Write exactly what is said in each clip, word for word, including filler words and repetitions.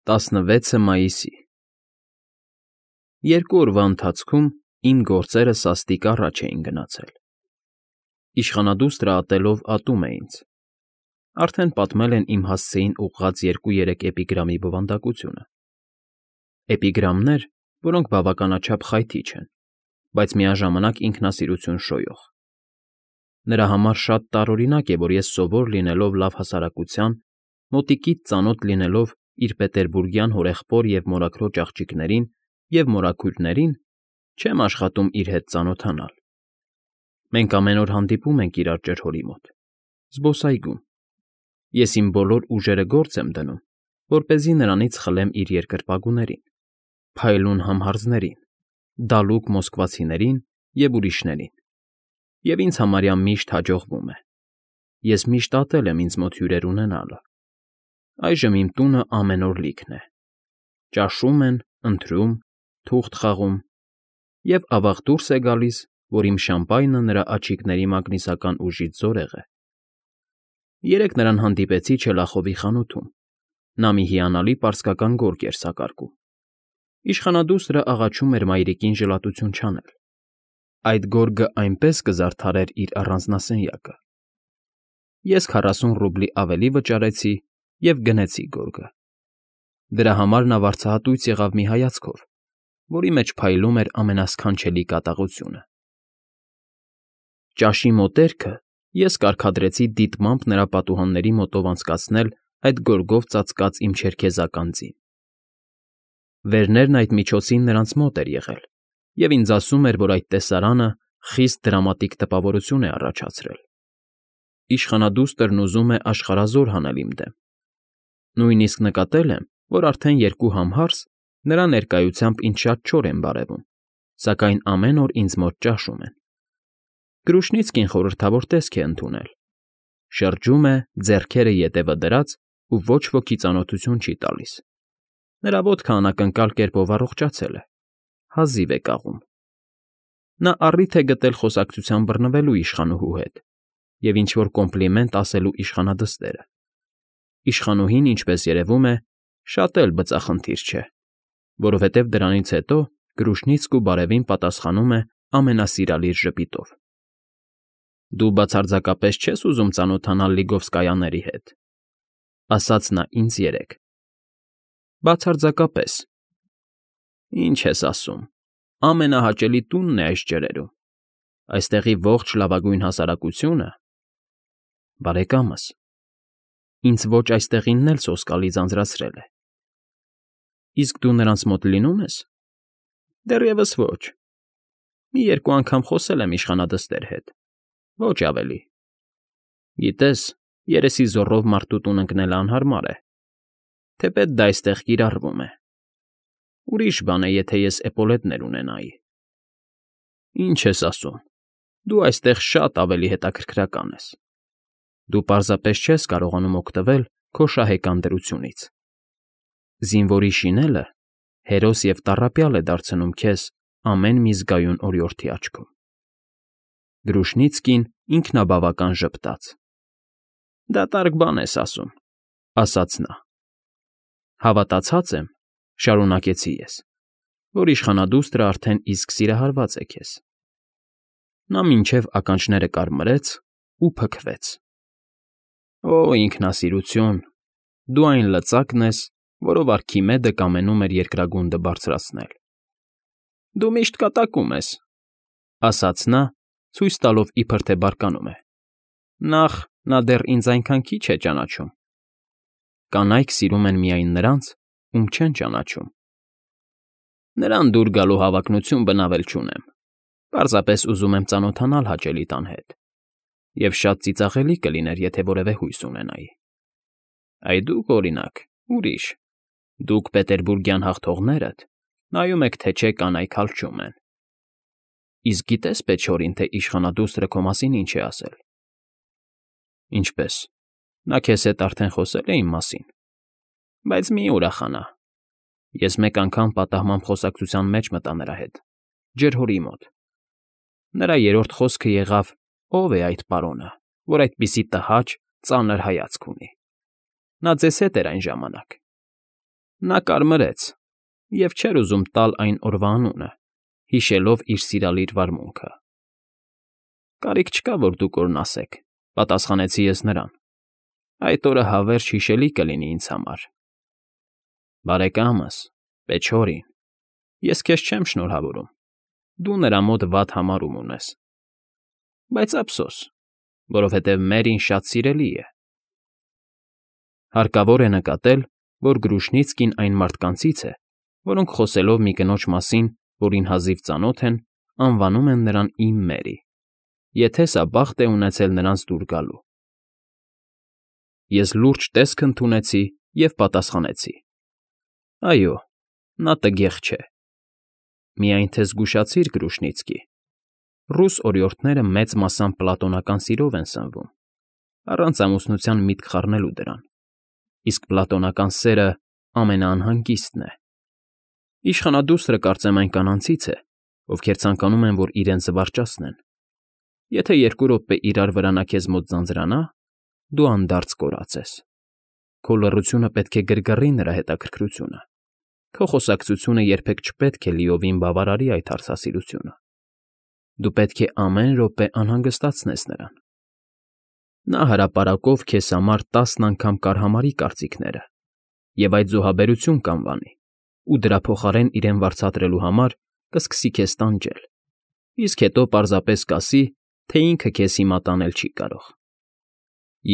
տասնվեցը մայիսի Երկու օրվա ընթացքում իմ գործերը սաստիկ առաջ էին գնացել. Իշխանադուստրը ատելով ատում է ինձ. արդեն պատմել են իմ հասցեին ուղղած երկու֊երեք էպիգրամի բովանդակությունը. էպիգրամներ, որոնք բավականաչափ խայթիչ են, բայց միաժամանակ ինքնասիրություն շոյող. նրա համար շատ տարօրինակ է, որ ես սովոր լինելով լավ հասարակության, մոտիկից ծանոթ լինելով իր պետերբուրգյան հորեղբոր և մորաքրոջ աղջիկներին և մորաքույրներին, չեմ աշխատում իր հետ ծանոթանալ. մենք ամեն օր հանդիպում ենք իրար ջրհորի մոտ, զբոսայգում, ես իմ բոլոր ուժերը գործ եմ դնում, որպեսզի նրանից խլեմ իր երկրպագուներին, փայլուն համհարձներին, դալուկ մոսկվացիներին և ուրիշներին, և ինձ համարյա միշտ հաջողվում է. ես միշտ ատել եմ ինձ մոտ հյուրեր ունենալը, այժմ իմ տունը ամեն օր լիքն է, ճաշում են, ընթրում, թուղթ խաղում, և ավաղ դուրս է գալիս, որ իմ շամպայնը նրա աչիկների մագնիսական ուժից զորեղ է. երեկ նրան հանդիպեցի չելախովի խանութում, նա մի հիանալի պարսկական գորգ էր սակարկում, իշխանադուստրը աղաչում էր մայրիկին ժլատություն չանել, այդ գորգը այնպես կզարդարեր իր առանձնասենյակը, ես քառասուն ռուբլի ավելի վճարեցի և գնեցի գորգը, դրա համար նա վարձահատույց եղավ մի հայացքով, որի մեջ փայլում էր ամենասքանչելի կատաղությունը. ճաշի մոտերքը ես կարգադրեցի դիտմամբ նրա պատուհանների մոտով անցկացնել այդ գորգով ծածկած իմ չերքեզական ձին. վերներն այդ միջոցին նրանց մոտ էր եղել և ինձ ասում էր, որ այդ տեսարանը խիստ դրամատիկ տպավորություն է առաջացրել. իշխանադուստրն ուզում է աշխարհազոր հանել իմ դեմ, նույնիսկ նկատել եմ, որ արդեն երկու համհարս նրա ներկայությամբ ինձ շատ չոր են բարևում, սակայն ամեն օր ինձ մոտ ճաշում են. Գրուշնիցկին խորհրդավոր տեսք է ընդունել, շրջում է, ձեռքերը ետևը դրած ու ոչ ոքի ծանոթություն չի տալիս, նրա ոտքը անակնկալ կերպով առողջացել է, հազիվ է կաղում. նա առիթ է գտել խոսակցության բռնվելու իշխանուհու հետ և ինչ֊որ կոմպլիմենտ ասելու իշխանադստերը, իշխանուհին, ինչպես երևում է, շատ էլ բծախնդիր չէ, որովհետև դրանից հետո Գրուշնիցկու բարևին պատասխանում է ամենասիրալիր ժպիտով. «Դու բացարձակապես չես ուզում ծանոթանալ Լիգովսկայաների հետ», ասաց նա ինձ երեկ։ «Բացարձակապես»։ «Ինչ ես ասում, ամենահաճելի տունն է այս ջրերում, այստեղի ողջ լավագույն հասարակությունը»։ «Բարեկամս, ինձ ոչ այստեղինն էլ սոսկալի ձանձրացրել է»։ «Իսկ դու նրանց մոտ լինո՞ւմ ես»։ «Դեռևս ոչ. մի երկու անգամ խոսել եմ իշխանադստեր հետ, ոչ ավելի։ Գիտես, երեսի զոռով մարդու տուն ընկնելը անհարմար է, թեպետ դա այստեղ կիրառվում է, ուրիշ բան է, եթե ես էպոլետներ ունենայի»։ «Ինչ ես ասում, դու այստեղ շատ ավելի հետաքրքրական ես, դու պարզապես չես կարողանում օգտվել քո շահեկան դրությունից, զինվորի շինելը հերոս և տառապյալ է դարձնում քեզ ամեն մի զգայուն օրիորդի աչքում»։ Գրուշնիցկին ինքնաբավական ժպտաց. «Դատարկ բան ես ասում», ասաց նա։ «Հավատացած եմ, ֊ շարունակեցի ես, ֊ որ իշխանադուստրը արդեն իսկ սիրահարված է քեզ»։ Նա մինչև ականջները կարմրեց ու փքվեց. «Օ, ինքնասիրություն, դու այն լծակն ես, որով Արքիմեդը կամենում էր երկրագունդը բարձրացնել»։ «Դու միշտ կատակում ես», ասաց նա, ցույց տալով, իբր թե բարկանում է. «Նախ, նա դեռ ինձ այնքան քիչ է ճանաչում»։ «Կանայք սիրում են միայն նրանց, ում չեն ճանաչում»։ «Նրան դուր գալու հավակնություն բնավել չունեմ, պարզապես ուզում եմ ծանոթանալ հաճելի տան հետ, և շատ ծիծաղելի կլիներ, եթե որևէ հույս ունենայի։ Այ դուք, օրինակ, ուրիշ, դուք պետերբուրգյան հաղթողներդ, նայում եք, թե չէ կանայք հալչում են։ Իսկ գիտե՞ս, Պեչորին, թե իշխանադուստրը քո մասին ինչ է ասել»։ «Ինչպես, նա քեզ հետ արդեն խոսե՞լ է իմ մասին»։ «Բայց մի ուրախանա. ես մեկ անգամ պատահմամբ խոսակցության մեջ մտա նրա հետ, ջրհորի մոտ։ Նրա երրորդ խոսքը եղավ. ով է այդ պարոնը, որ այդպիսի տհաճ, ծանր հայացք ունի։ Նա ձեզ հետ էր այն ժամանակ։ Նա կարմրեց և չէր ուզում տալ այն օրվա անունը, հիշելով իր սիրալիր վարմունքը։ ֊ Կարիք չկա, որ դուք օրհնացեք,֊ պատասխանեցի ես նրան։ այդ օրը հավերժ հիշելի կլինի ինձ համար։ ֊ Բարեկամս, Պեչորին, ես քեզ չեմ շնորհավորում, դու նրա մոտ վատ համարում ունես։ Բայց ափսոս, որովհետև Մերրին շատ սիրելի է։ Հարկավոր է նկատել, որ Գրուշնիցկին այն մարդկանցից է, որոնք խոսելով մի կնոջ մասին, որին հազիվ ծանոթ են, անվանում են նրան «իմ Մերի», եթե սա բախտ է ունեցել նրանց դուր գալու։ Ես լուրջ տեսք ընդունեցի և պատասխանեցի. «Այո, նա տգեղ չէ։ Միայն թե զգուշացիր, Գրուշնիցկի, ռուս օրիորդները մեծ մասամբ պլատոնական սիրով են սնվում, առանց ամուսնության միտք խառնելու դրան, իսկ պլատոնական սերը ամենաանհանգիստն է։ Իշխանադուստրը կարծեմ այն կանանցից է, ովքեր ցանկանում են, որ իրենց զվարճացնեն։ Եթե երկու րոպե իրար վրա նա քեզ մոտ ձանձրանա, դու անդարձ կորած ես։ Քո լռությունը պետք է գրգռի նրա հետաքրքրությունը, քո խոսակցությունը երբեք չպետք է լիովին բավարարի այդ հարցասիրությունը։ Դու պետք է ամեն րոպե անհանգստացնես նրան։ Նա հրապարակով քեզ համար տասն անգամ կարհամարի կարծիքները և այդ զոհաբերություն կանվանի, ու դրա փոխարեն իրեն վարձատրելու համար կսկսի քեզ տանջել, իսկ հետո պարզապես կասի, թե ինքը քեզ հիմա տանել չի կարող։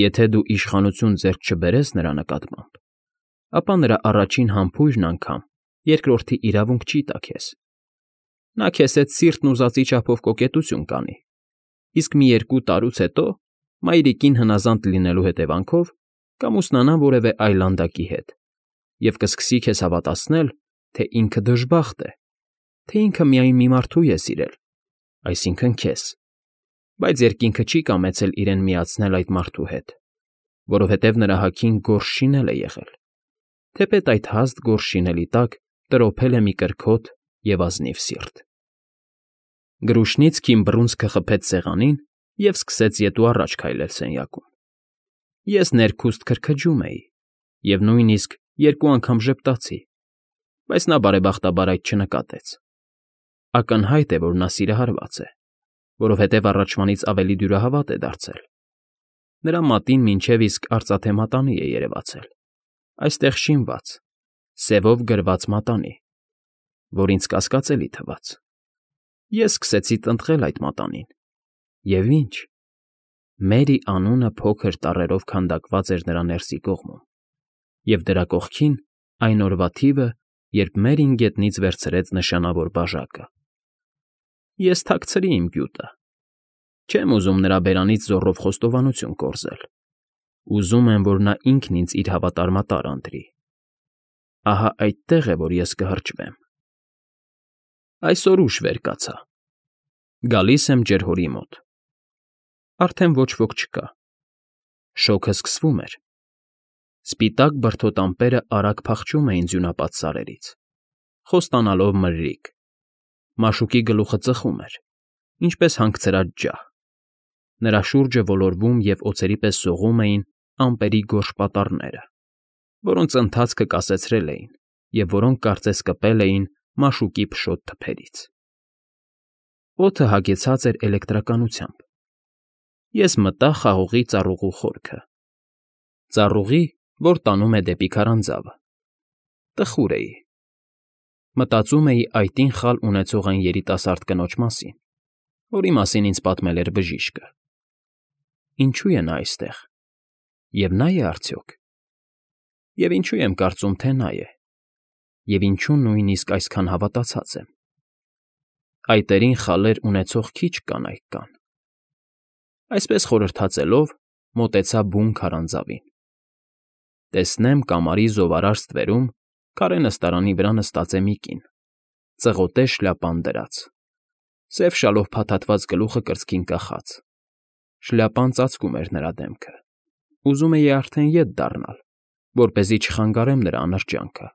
Եթե դու իշխանություն ձեռք չբերես նրա նկատմամբ, ապա նրա առաջին համբույրն անգամ երկրորդի իրավունք չի տա քեզ։ Նա քեզ հետ սիրտն ուզածի չափով կոկետություն կանի, իսկ մի երկու տարուց հետո, մայրիկին հնազանդ լինելու հետևանքով, կամուսնանա որևէ այլանդակի հետ և կսկսի քեզ հավատացնել, թե ինքը դժբախտ է, թե ինքը միայն մի մարդու է սիրել, այսինքն՝ քեզ, բայց երկինքը չի կամեցել իրեն միացնել այդ մարդու հետ, որովհետև նրա հագին գորշ շինել է եղել, թեպետ այդ հաստ գորշ շինելի տակ տրոփել է մի կրքոտ և ազնիվ սիրտ։ Գրուշնիցկին բռունցքը խփեց սեղանին և սկսեց ետ ու առաջ քայլել սենյակում։ Ես ներքուստ քրքջում էի և նույնիսկ երկու անգամ ժպտացի, բայց նա բարեբախտաբար այդ չնկատեց։ Ակնհայտ է, որ նա սիրահարված է, որովհետև առաջվանից ավելի դյուրահավատ է դարձել։ Նրա մատին մինչև իսկ արծաթե մատանի է երևացել, այստեղ շինված, սևով գրված մատանի, որ ինձ կասկածելի թվաց։ Ես սկսեցի տնտղել այդ մատանին, և ինչ, Մերի անունը փոքր տառերով քանդակված էր նրա ներսի կողմում, և դրա կողքին այն օրվա թիվը, երբ Մերին գետնից վերցրեց նշանավոր բաժակը։ Ես թաքցրի իմ գյուտը։ Չեմ ուզում նրա բերանից զոռով խոստովանություն կորզել։ Ուզում եմ, որ նա ինքն ինձ իր հավատարմատար ընտրի։ Ահա այդտեղ է, որ ես կհրճվեմ։ Այսօր ուշ վեր կացա։ Գալիս եմ ջրհորի մոտ։ Արդեն ոչ ոք չկա։ Շոգը սկսվում էր։ Սպիտակ բրդոտ ամպերը արագ փախչում էին ձյունապատ սարերից, խոստանալով մրրիկ։ Մաշուկի գլուխը ծխում էր, ինչպես հանգցրած ջահ։ Նրա շուրջը ոլորվում և օձերի պես սողում էին ամպերի գորշ պատառները, որոնց ընթացքը կասեցրել էին և որոնք կարծես կպել էին մաշուկի փշոտ թփերից։ Օդը հագեցած էր էլեկտրականությամբ։ Ես մտա խաղողի ծառուղու խորքը։ Ծառուղի, որ տանում է դեպի քարանձավը։ Տխուր էի։ Մտածում էի այտին խալ ունեցող այն երիտասարդ կնոջ մասին, որի մասին ինձ պատմել էր բժիշկը։ Ինչու է նա այստեղ։ Եվ նա՞ է արդյոք։ Եվ ինչու եմ կարծում, թե նա է։ Եվ ինչու նույնիսկ այսքան հավատացած եմ։ Այտերին խալեր ունեցող քիչ կանայք կան։ Այսպես խորհրդածելով՝ մոտեցա բուն քարանձավին։ Տեսնեմ կամարի զովարար ստվերում քարե նստարանի վրա նստած է մի կին, ծղոտե շլյապան դրած, սև շալով փաթաթված գլուխը կրծքին կախած։ Շլյապան ծածկում էր նրա դեմքը։ Ուզում էի արդեն ետ դառնալ, որպեսզի չխանգարեմ նրա անրջյանքը,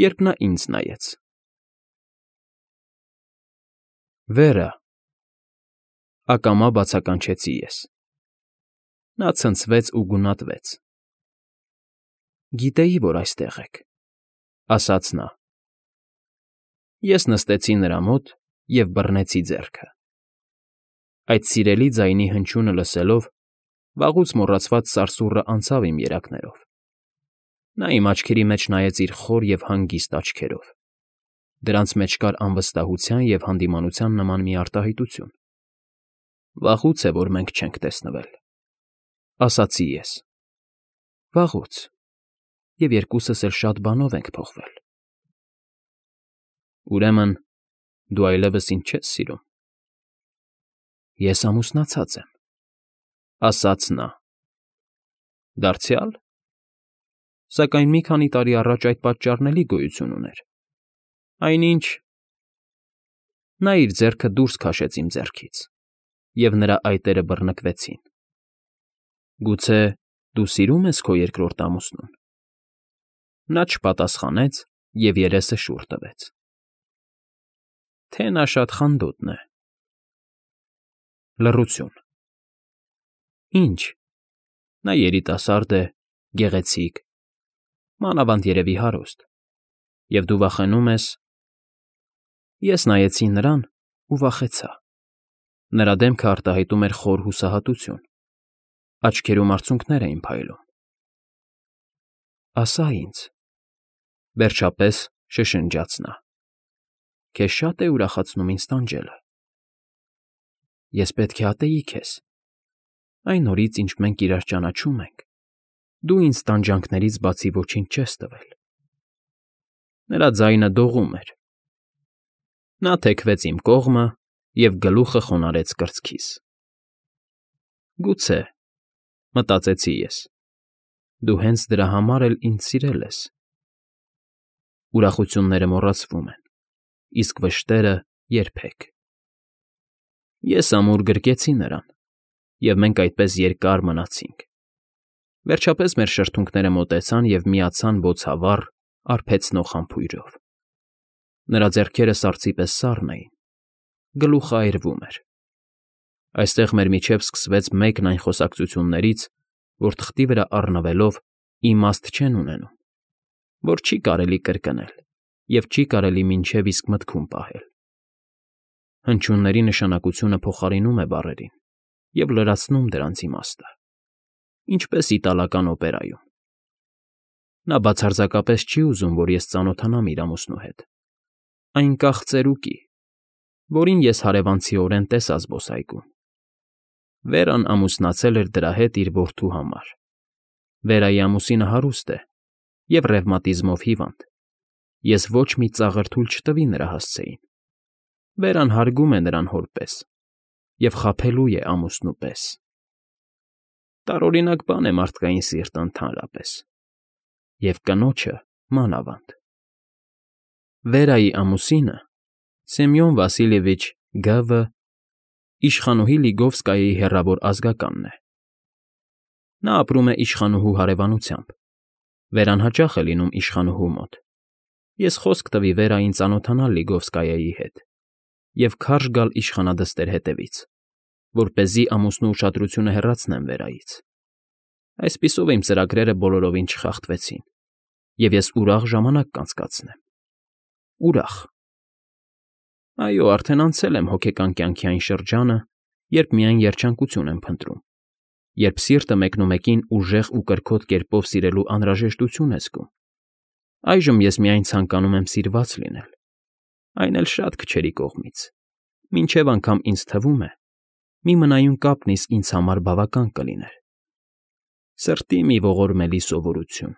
երբ նա ինձ նայեց։ Վերա, ակամա բացականչեցի ես։ Նա ցնցվեց ու գունատվեց։ Գիտեի, որ այստեղ եք։ ասաց նա։ Ես նստեցի նրա մոտ և բռնեցի ձեռքը։ Այդ սիրելի ձայնի հնչյունը լսելով, վաղուց մոռացված սարսուռը անցավ իմ երակներով։ Նա իմ աչքերի մեջ նայեց իր խոր և հանգիստ աչքերով։ Դրանց մեջ կար անվստահության և հանդիմանության նման մի արտահայտություն։ Վաղուց է, որ մենք չենք տեսնվել, ասացի ես։ Վաղուց, և երկուսս էլ շատ բանով ենք փոխվել։ Ուրեմն դու այլևս ինձ չես սիրում։ Ես ամուսնացած եմ, ասաց նա։ Դարձյալ։ Սակայն մի քանի տարի առաջ այդ պատճառն էլի գոյություն ուներ։ Այնինչ… Նա իր ձեռքը դուրս քաշեց իմ ձեռքից, և նրա այտերը բռնկվեցին։ Գուցե դու սիրում ես քո երկրորդ ամուսնուն։ Նա չպատասխանեց և երեսը շուռ տվեց։ Թե նա շատ խանդոտն է։ Լռություն։ Ինչ, նա երիտասարդ է, գեղեցիկ, մանավանդ երևի հարուստ, և դու վախենում ես… Ես նայեցի նրան ու վախեցա։ Նրա դեմքը արտահայտում էր խոր հուսահատություն, աչքերում արցունքներ էին փայլում։ Ասա ինձ, վերջապես շշնջաց նա, քեզ շա՞տ է ուրախացնում ինձ տանջելը։ Ես պետք է ատեի քեզ։ Այն օրից, ինչ մենք իրար ճանաչում ենք, դու ինձ տանջանքներից բացի ոչինչ չես տվել։ Նրա ձայնը դողում էր։ Նա թեքվեց իմ կողմը և գլուխը խոնարհեց կրծքիս։ Գուցե, մտածեցի ես, դու հենց դրա համար էլ ինձ սիրել ես։ Ուրախությունները մոռացվում են, իսկ վշտերը՝ երբեք։ Ես ամուր գրկեցի նրան, և մենք այդպես երկար մնացինք։ Վերջապես մեր շրթունքները մոտեցան և միացան բոցավառ, արբեցնող համբույրով։ Նրա ձեռքերը սառցի պես սառն էին, գլուխը այրվում էր։ Այստեղ մեր միջև սկսվեց մեկն այն խոսակցություններից, որ թղթի վրա առնվելով իմաստ չեն ունենում, որ չի կարելի կրկնել և չի կարելի մինչև իսկ մտքում պահել։ Հնչյունների նշանակությունը փոխարինում է բառերին և լրացնում դրանց իմաստը, ինչպես իտալական օպերայում։ Նա բացարձակապես չի ուզում, որ ես ծանոթանամ իր ամուսնու հետ։ Այն կախ ծերուկի, որին ես հարևանցիորեն տեսա զբոսայգում։ Վերան ամուսնացել էր դրա հետ իր որդու համար։ Վերայի ամուսինը հարուստ է և ռևմատիզմով հիվանդ։ Ես ոչ մի ծաղր թույլ չտվի նրա հասցեին։ Վերան հարգում է նրան հոր պես և խաբելու է ամուսնու պես։ Տարօրինակ բան է մարդկային սիրտը ընդհանրապես, և կնոջը մանավանդ։ Վերայի ամուսինը Սեմյոն Վասիլիևիչ Գ.Վ. իշխանուհի Լիգովսկայի հեռավոր ազգականն է։ Նա ապրում է իշխանուհու հարևանությամբ։ Վերան հաճախ է լինում իշխանուհու մոտ։ Ես խոսք տվի Վերային ծանոթանալ Լիգովսկայի հետ և քարշ գալ իշխանադստեր հետևից, որպեսզի ամուսնու ուշադրությունը հեռացնեմ Վերայից։ Այսպիսով իմ ծրագրերը բոլորովին չխախտվեցին, և ես ուրախ ժամանակ կանցկացնեմ։ Ուրախ… Այո, արդեն անցել եմ հոգեկան կյանքի այն շրջանը, երբ միայն երջանկություն եմ փնտրում, երբ սիրտը մեկնումեկին ուժեղ ու կրքոտ կերպով սիրելու անհրաժեշտություն է զգում։ Այժմ ես միայն ցանկանում եմ սիրված լինել, այն էլ շատ քչերի կողմից, մինչև անգամ ինձ թվում է, մի մնայուն կապն իսկ ինձ համար բավական կլիներ։ Սրտի մի ողորմելի սովորություն։